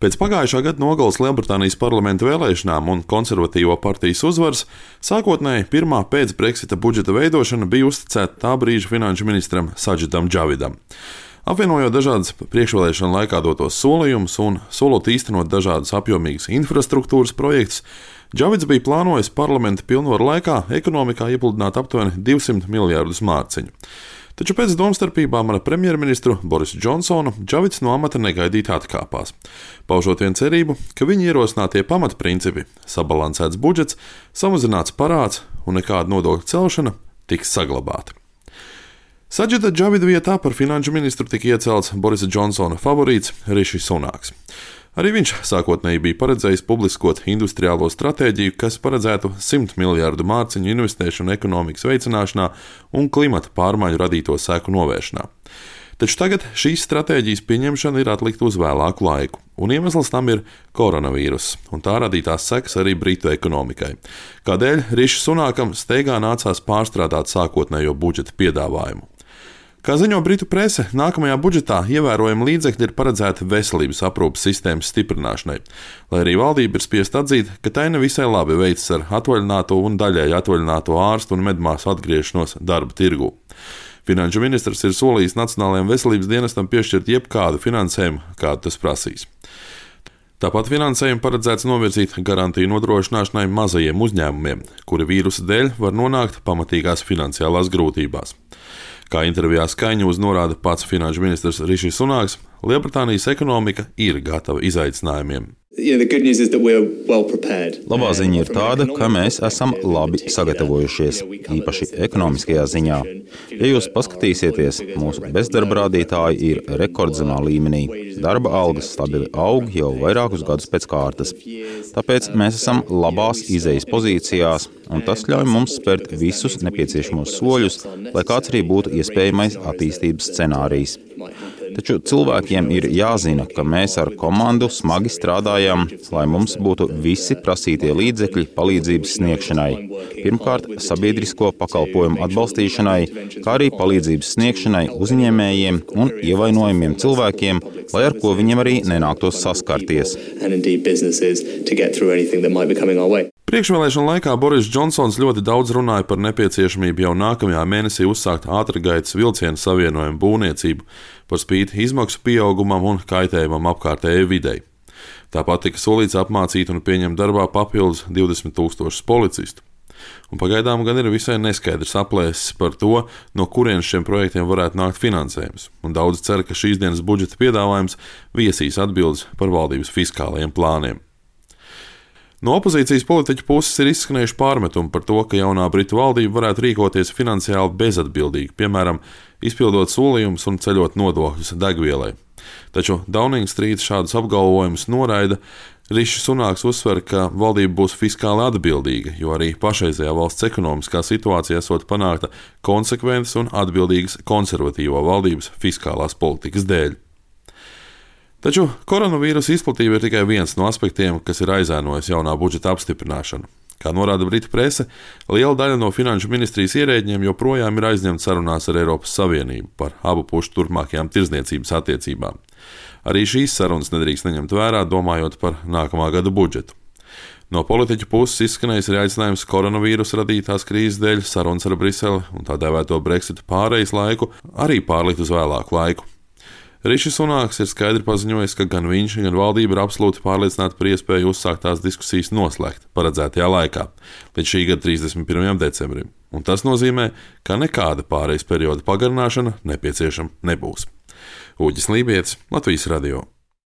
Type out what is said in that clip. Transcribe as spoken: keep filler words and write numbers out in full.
Pēc pagājušā gada nogales Lielbritānijas parlamenta vēlēšanām un konservatīvo partijas uzvaras sākotnēji pirmā pēc Brexita budžeta veidošana bija uzticēta tā brīža finanšu ministram Sadžidam Džavidam. Apvienojot dažādas priekšvēlēšana laikā dotos solījumus un solot īstenot dažādus apjomīgus infrastruktūras projektus, Džavids bija plānojis parlamenta pilnvaru laikā ekonomikā iepludināt aptuveni divsimt miljārdus mārciņu. Taču pēc domstarpībām ar premjerministru Borisu Džonsonu Džavids no amata negaidīti atkāpās, paužot vien cerību, ka viņa ierosinātie pamatprincipi - sabalansēts budžets, samazināts parāds un nekāda nodokļu celšana - tiks saglabāti. Sadžida Džavida vietā par finanšu ministru tika iecelts Borisa Džonsona favorīts Rišis Sunāks. Arī viņš sākotnēji bija paredzējis publiskot industriālo stratēģiju, kas paredzētu simt miljārdu mārciņu investēšanu ekonomikas veicināšanā un klimata pārmaiņu radīto seku novēršanā. Taču tagad šīs stratēģijas pieņemšana ir atlikta uz vēlāku laiku, un iemesls tam ir koronavīruss un tā radītās sekas arī Britu ekonomikai. Kādēļ Rišis Sunākam steigā nācās pārstrādāt sākotnējo budžeta piedāvājumu. Kā ziņo Britu prese, nākamajā budžetā ievērojami līdzekļi ir paredzēti veselības aprūpes sistēmas stiprināšanai, lai arī valdība ir spiest atzīt, ka tai nevisai labi veicas ar atvaļināto un daļēji atvaļināto ārstu un medmāsu atgriešanos darba tirgū. Finanšu ministrs ir solījis Nacionālajam veselības dienestam piešķirt jebkādu finansējumu, kādu tas prasīs. Tāpat finansējumu paredzēts novirzīt garantiju nodrošināšanai mazajiem uzņēmumiem, kuri vīrusa dēļ var nonākt pamatīgās finansiālās grūtībās. Kā intervijā Sky News norāda pats finanšu ministrs Rišis Sunāks, Lielbritānijas ekonomika ir gatava izaicinājumiem. Labā ziņa ir tāda, ka mēs esam labi sagatavojušies, īpaši ekonomiskajā ziņā. Ja jūs paskatīsieties, mūsu bezdarba rādītāji ir rekordzemā līmenī. Darba algas stabili aug jau vairākus gadus pēc kārtas. Tāpēc mēs esam labās izejas pozīcijās, un tas ļauj mums spērt visus nepieciešamos soļus, lai kāds arī būtu iespējamais attīstības scenārijs. Taču cilvēkiem ir jāzina, ka mēs ar komandu smagi strādājam, lai mums būtu visi prasītie līdzekļi palīdzības sniegšanai. Pirmkārt, sabiedrisko pakalpojumu atbalstīšanai, kā arī palīdzības sniegšanai uzņēmējiem un ievainojumiem cilvēkiem, lai ar ko viņiem arī nenāktos saskarties. Priekšvēlēšana laikā Boris Džonsons ļoti daudz runāja par nepieciešamību jau nākamajā mēnesī uzsākt ātrgaitas vilcienu savienojumu būvniecību par spīti izmaksu pieaugumam un kaitējumam apkārtējai videi. Tāpat tika solīts apmācīt un pieņemt darbā papildus divdesmit tūkstošus policistu. Un pagaidām gan ir visai neskaidrs aplēses par to, no kurienes šiem projektiem varētu nākt finansējums, un daudz cer, ka šīs dienas budžeta piedāvājums viesīs atbildes par valdības fiskālajiem plāniem. No opozīcijas politiķu puses ir izskanējuši pārmetumi par to, ka jaunā Britu valdība varētu rīkoties finansiāli bezatbildīgi, piemēram, izpildot solījumus un ceļot nodokļus degvielai. Taču Downing Street šādus apgalvojumus noraida. Rišis Sunāks uzsver, ka valdība būs fiskāli atbildīga, jo arī pašreizējā valsts ekonomiskā situācijā esot panākta konsekventas un atbildīgas konservatīvo valdības fiskālās politikas dēļ. Taču koronavīrusa izplatība ir tikai viens no aspektiem, kas ir aizēnojis jaunā budžeta apstiprināšanu. Kā norāda Britu prese, liela daļa no finanšu ministrijas ierēģiem joprojām ir aizņemta sarunās ar Eiropas Savienību par abu pušu turpmākajām tirdzniecības attiecībām. Arī šīs sarunas nedrīkst neņemt vērā, domājot par nākamā gada budžetu. No politiķu puses izskanējis arī aicinājums koronavīrusa radītās krīzes dēļ sarunas ar Briseli un tā dēvēto Brexita pārejas laiku arī pārlikt uz vēlāku laiku. Rišis Sunāks ir skaidri paziņojis, ka gan viņš, gan valdība ir absolūti pārliecināti par iespēju uzsākt tās diskusijas noslēgt paredzētajā laikā, līdz šī gada trīsdesmit pirmajam decembrim, un tas nozīmē, ka nekāda pārejas perioda pagarināšana nepieciešama nebūs. Uģis Lībietis, Latvijas radio.